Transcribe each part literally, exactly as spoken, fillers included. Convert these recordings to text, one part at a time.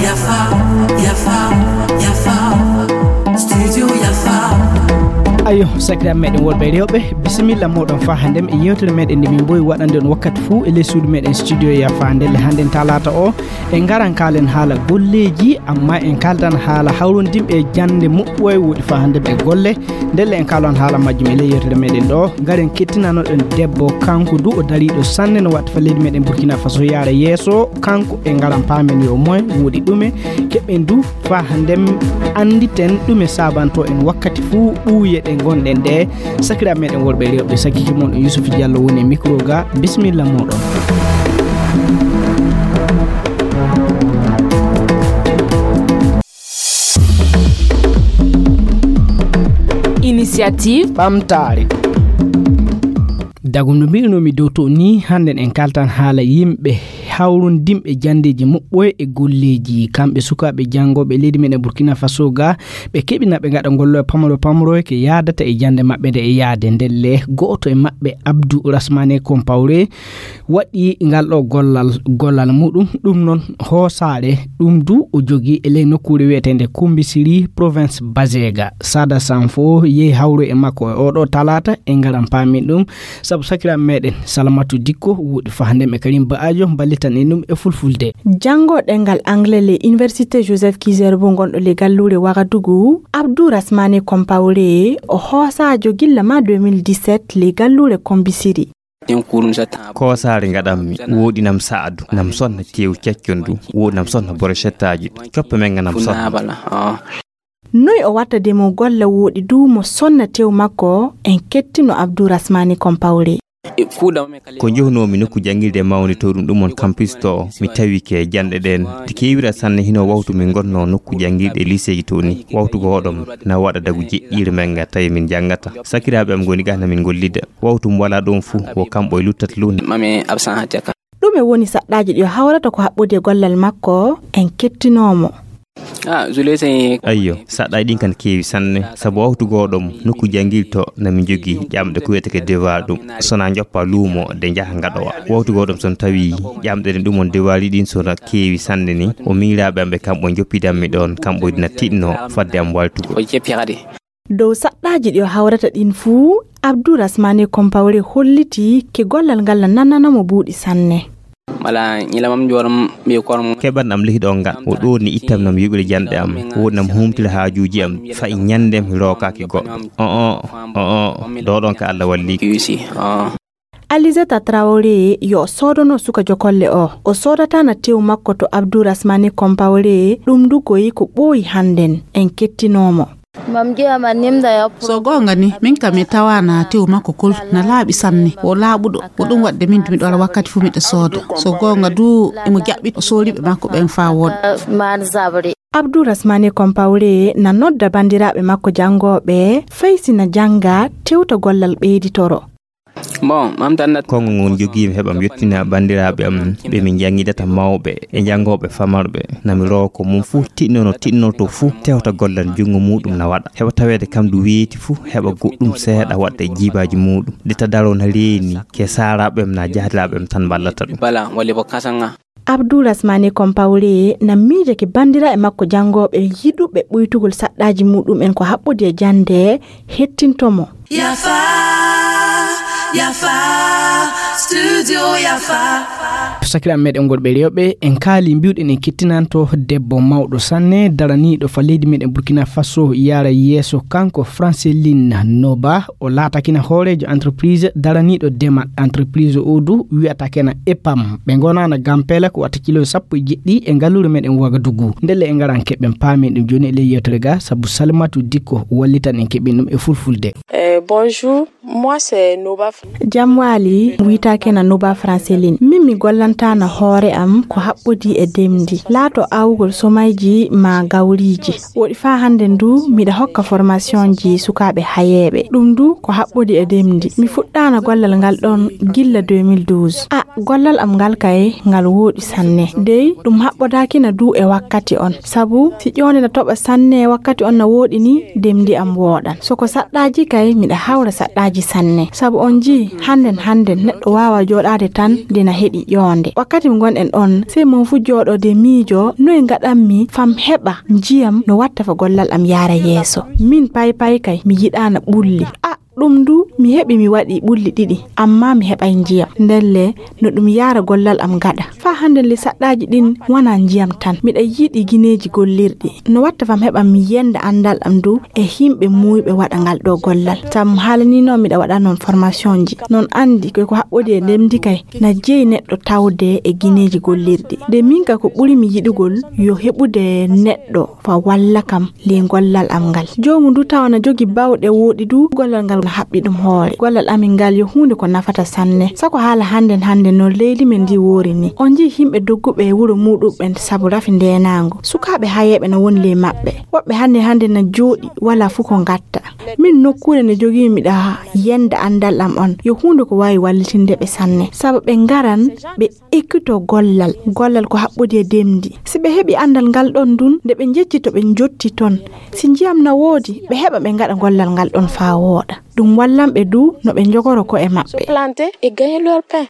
Yafa, yafa, yafa. Studio yafa. Ayo, sakiraaɓe meɗen worɓe e rewɓe, bisimilla mooɗon faa hannde e yewtere meɗen nde min mboyi waɗande on wakkati fuu e ley suudu meɗen studio yafa. Ndelle hannde talaata o, en ngaran kaalen haala golleeji, amma en kaaldan haala hawrondinɓe e jannde moƴƴo e woɗɗi faa hannde e golle. Ndelle en kaalan haala majjum e ley yewtere meɗen ɗo. Ngaren kettinanoɗen debbo, kanko du o dariiɗo sanne no watta faa leydi meɗen Burkina Faso yaara yeeso. Kanko e ngaran paamen yo moy woɗi ɗume keɓen du faa hannde annditen ɗume saabanto en wakkati fuu ɓuuye ɗe ngonɗen ɗe. Sakiraaɓe meɗen worɓe e rewɓe, sakkiike mon Yusuf Diallo woni e micro ga. Bisimilla mooɗon. Initiative ɓamtaare. Dagum no mbi'unoomi dow to ni, hannden en kaltan haala yimɓe hawrondinɓe janndeeji moƴƴoye e golleeji. Kamɓe sukaaɓe janngooɓe leydi men e Burkina Faso ga, ɓe keɓina ɓe ngaɗa ngolloye pamroye pamroye ke yaadata e jannde maɓɓe nde e yaade. Ndelle gooto e maɓɓe, Abdou Rasmane Compaoré, waɗi ngal ɗo gollal, gollal muɗum, ɗum noon hoosaare, ɗum du o jogii e ley nokkuure wiyeteende Kumbisiri, province Bazega. Sada Sanfo yehi hawru e makko e oɗo talaata, e ngaran paamin ɗum, sabu sakiraaɓe meɗen Salamatu Dikko woɗi fahndem e Karim Ba'ajo mballitan en ɗum e fulfulde. Janngo ɗemngal angle ley Université Joseph Kizerbo ngonɗo ley galluure Wagadugu, Abdou Rasmane Compaoré o hoosaajo gilla ma deux mille dix-sept ley galluure Kombisiri. Koosaare ngaɗammi, wooɗi nam sa'adu, nam sonna teewu caccon du, wooɗi nam sonna borocettaaji du. Coppe men nga nam sonna. Noy o watta de mo golla wooɗi du mo sonna teewu makko, en kettino Abdou Rasmane Compaoré. Ko njohnoomi nokku janngirde mawni to ɗum ɗum on campus to, mi tawi ke janɗe ɗen. Ɗi keewira sanne hino wawtu min ngonnoo nokku janngirɗe lycée to ni. Wawtu gooɗom na waɗa dagu jeɗɗiire men nga tawi min janngata. Sakiraaɓe am ngoni ga na min ngollida. Wawtu mo walaa ɗon fuu, wo kamɓe luttata luunde. Mame absent hatiya ka. Ɗume woni saɗɗaaji ɗi o hawrata ko haɓɓodi e gollal makko? En kettinoo mo. Ah, Zule, c'est Ayyo, saɗɗaaji ɗin kan keewi sanne, sabu wawtu gooɗom nokku janngirto na min jogii ƴamɗe ko wiyetee devoir ɗum. So na njoppa luumo de njaha ngaɗowa. Wawtu gooɗom so na tawi ƴamɗe ɗen ɗum on devoir ɗin so na keewi sanne ni, o miiraaɓe am ɓe kamɓe njoppidanmi ɗon, kamɓe dina tiɗno fadde am waltugol. Ko jeppi kadi. Dow saɗɗaaji ɗi o hawrata ɗin fuu, Abdou Rasmane Compaoré holliti ke gollal ngal na nanana mo buuɗi sanne. Wala ñilamam jooram ɓe korom. Keɓan am lihi ɗon ngal, o ɗooni ittam nam yuɓire janɗe am, woɗi nam humtira haajuuji am, fa'i ñannde mi rookaaki goɗɗo. O, o, o, o, ɗo ɗon ka Allah walli. Yusi, o. Alizata Traoré yo o soodono suka jokolle o. O soodata na tew makko to Abdou Rasmane Compaoré, ɗum du koyi ko ɓooyi hannden. En kettinoo mo. Mam je ama nimda ya. So goonga ni, min kam mi tawaana tew makko kol na laaɓi sanne. O laaɓuɗo, ko ɗum waɗde min miɗo wara wakkati fu miɗo sooda. So goonga du, imo jaɓɓi o sooriiɓe makko ɓen faa wooɗa. Man zabri. Abdou Rasmane Compaoré na nodda banndiraaɓe makko janngooɓe, fay si na jannga, tewta gollal ɓeyditoro. Bon, mam tan nat. Konngol ngol jogiimi heɓa mi yettina banndiraaɓe am ɓe min njanngidata mawɓe e janngooɓe famarɓe. Na mi roowa ko mum fuu tiɗnono tiɗnorto fuu tewta gollal junngo muuɗum na waɗa. Heɓa taweede kam du weeti fuu heɓa goɗɗum seeɗa waɗta e jiibaaji muuɗum. Nde ta daroo na reeni ke saaraaɓe am na jahdiraaɓe am tan mballata ɗum. Bala, wali bo kasanga. Abdou Rasmane Compaoré na miijake banndiraaɓe makko janngooɓe yiɗuɓe ɓuytugol saɗɗaaji muɗum'en ko haɓɓodi e jannde hettinto mo. Yafa, yafa, studio yafa. Sakiraaɓe meɗen worɓe e rewɓe, en kaali mbiwɗen en kettinanto debbo mawɗo sanne daraniiɗo fa leydi meɗen Burkina Faso yaara yeeso, kanko Franceline Noba. O laatakina hooreejo entreprise daraniiɗo demal. Entreprise o du wiyata kena EPAM. Ɓe ngonaana Gampela ko watta kilo sappo e jeɗɗi e ngalluure meɗen Wagadugu. Ndelle e ngaran keɓen paamen ɗum jooni e ley yewtere ga, sabu Salimatu Dikko wallitan en keɓen ɗum e fulfulde. Eh, bonjour, moi c'est Noba. Jam waali, wiyata kena Noba Franceline. Min mi gollantana hoore am ko haɓɓodi e demdi. Laato awgol somayji ma gawriiji. Woɗi faa hannde ndu, miɗa hokka formationji sukaaɓe hayeeɓe. Ɗum du ko haɓɓodi e demdi. Mi fuɗɗaana gollal ngal ɗon gilla deux mille douze. A, gollal am ngal kay, ngal wooɗi sanne. Dey, ɗum haɓɓodaakina du e wakkati on. Sabu, si ƴoonde na toɓa sanne e wakkati on na wooɗi ni, demdi am wooɗan. So ko saɗɗaaji kay, miɗa hawra saɗɗaaji sanne. Sabu on jii, hannden hannden, neɗɗo waawa jooɗaade tan An dina heɗi ƴoonde. Wakkati mo ngonɗen ɗon, sey mon fuu jooɗoode miijo, noy ngaɗanmi fam heɓa njiyam no watta fa gollal am yaara yeeso? Min pay pay kay, mi yiɗaana ɓulli. A, ɗum du, mi heɓi mi waɗi ɓulli ɗiɗi, ammaa mi heɓay njiyam. Ndelle, no ɗum yaara gollal am gaɗa. Faa hannden le saɗɗaaji ɗin wanaa njiyam tan. Miɗa yiɗi gineeji gollirɗi. No watta fam heɓa mi yenda anndal am du e himɓe muuyɓe waɗa ngal ɗo gollal. Tam haalaniino miɗa waɗa non formationji. Non anndi ko ko haɓɓodi e ndemdi kay na jeyi neɗɗo tawde e gineeji gollirɗi. De min ka ko ɓuri mi yiɗugol yo heɓude neɗɗo fa walla kam le gollal am ngal. Joomu ndu tawa na jogi bawɗe wooɗi du, gollal ngal na haɓɓi ɗum hoore. Gollal amin ngal yo huunde ko nafata sanne. Sako haala hannden hannden no leydi men ndi woori ni. On njii himɓe dogguɓe e wuro muuɗum ɓen sabu rafi ndeenaango. Sukaaɓe hayeeɓe na woni ley maɓɓe. Woɓɓe hannde hannde na jooɗi, walaa fuu ko ngatta. Min nokkuure nde jogiimi miɗa yenda anndal am on. Yo huunde ko waawi wallitinde ɓe sanne. Sabu ɓe ngaran, ɓe ekkito gollal. Gollal ko haɓɓodi e demdi. Si ɓe heɓi anndal ngal ɗon ndun, nde ɓe njecci to ɓe njotti ton. Si njiyam na woodi, ɓe heɓa ɓe ngaɗa gollal ngal ɗon faa wooɗa. Ɗum wallan ɓe du no ɓe njogoro ko'e maɓɓe. Se planter et gagner leur pain.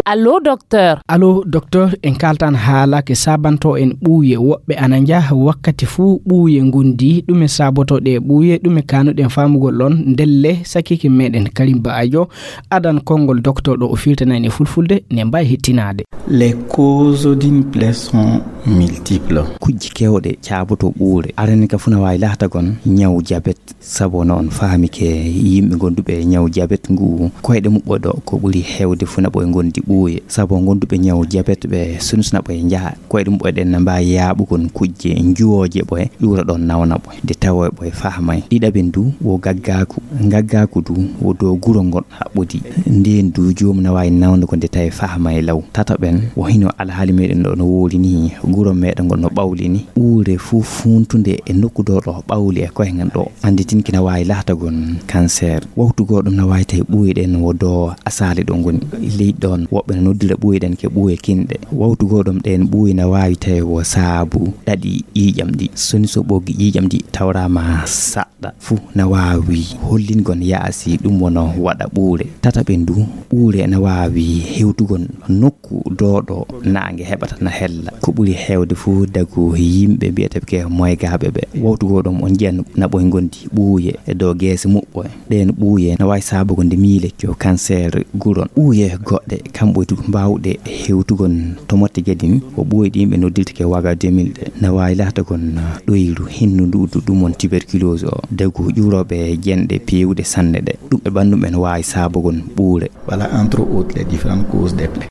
Allô, docteur. Allô, docteur, en kaltan haala ke sabanto en ɓuuye. Woɓɓe ana njaha wakkati fuu ɓuuye ngondi. Ɗume saboto ɗe ɓuuye? Ɗume kanuɗen faamugol ɗon? Ndelle, sakike meɗen Karim Ba'ajo adan konngol docteur ɗo o firtana en e fulfulde, ne mbaawi hettinaade. Les causes d'une plaie sont multiples. Kujji kewɗe caaboto ɓuure. Arani ka fuu na waawi laatagon ñaw jabet. Sabu no on faami ke yimɓe gonduɓe ñaw jabet ngu, koyɗe muɓɓe ɗo ko ɓuri heewde fuu na ɓoye ngondi ɓuuye. Sabu gonduɓe ñaw jabet ɓe sunsuna ɓoye njaha. Koyɗe muɓɓe ɗen na mbaawi yaaɓugol kujje njuwooje ɓoye, ƴuura ɗon nawna ɓoye. De tawa ɓoye faamay. Ɗiɗaɓen du wo gaggaaku. Gaggaaku du wo dow guro ngon haɓɓodi. Ndeen du joomu na waawi nawnugo nde tawi faamay law. Tataɓen wo hino alhaali meɗen ɗo no woori ni, guro meɗen ngon no ɓawli ni. Ɓuure fuu funtunde e nokku ɗo ɗo ɓawli e koye ngan ɗo. Anditin kina waawi laatagon cancer. Wawtu goo ɗum na waawi tawi ɓuuye ɗen wo do asaali ɗo ngoni. Ley ɗon woɓɓe no noddira ɓuuye ɗen ke ɓuuye kinɗe. Wawtu goo ɗum ɗen ɓuuye na waawi tawi wo saabu ɗaɗi ƴiiƴam ɗi. Soni so ɓoggi ƴiiƴam ɗi tawraama saɗɗa fuu na waawi hollingon yaasi ɗum wono waɗa ɓuure. Tataɓen du, ɓuure na waawi hewtugon nokku dooɗo naange heɓata na hella. Ko ɓuri heewde fuu dagu yimɓe mbiyeteɓe ke moygaaɓe ɓe. Wawtu goo ɗum on njiyan na ɓoy ngondi ɓuuye e dow geese muɓɓo. Ɗeen ɓuuye na waawi saabugo nde miilecco, cancer, guron. Ɓuuye goɗɗe, kamɓe du mbaawɗe hewtugon to motte gedin, ko ɓuuye ɗin ɓe noddirta ke waga deux mille ɗe. Na waawi laatagon ɗoyru hinnu ndu du ɗum on tuberculose o. Dagu ƴuurooɓe jenɗe peewuɗe sanne ɗe. Ɗuɓɓe ɓanndu ɓen waawi saabugon ɓuure. Voilà, entre autres, les différentes causes des plaies.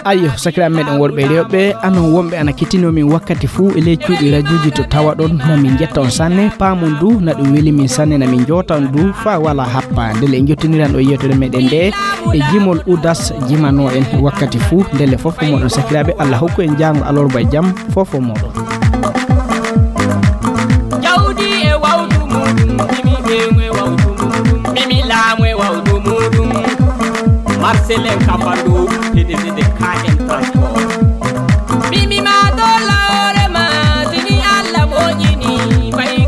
Ayyo, sakiraaɓe meɗen worɓe e rewɓe, anon wonɓe ana kettinoo min wakkati fuu e ley cuuɗi rajuuji to tawaɗon, na min njetta on sanne, paamon du, na ɗum weli min sanne, na min njoota on du, faa walaa happa. Ndelle en njottiniran o yewtere meɗen nde e jimol Udas jimanoo en wakkati fuu. Ndelle fof ko moɗon sakiraaɓe, Allah hokku en jaango alarba e jam, fof ko moɗon. Jawdi e wawdu muɗum, mimi ɓeŋu e wawdu muɗum, mimi laamu e wawdu muɗum. Marcel en Kafando, P D G de K M Transport. Mimi ma dolla hoore ma, sini Allah moƴƴini, fay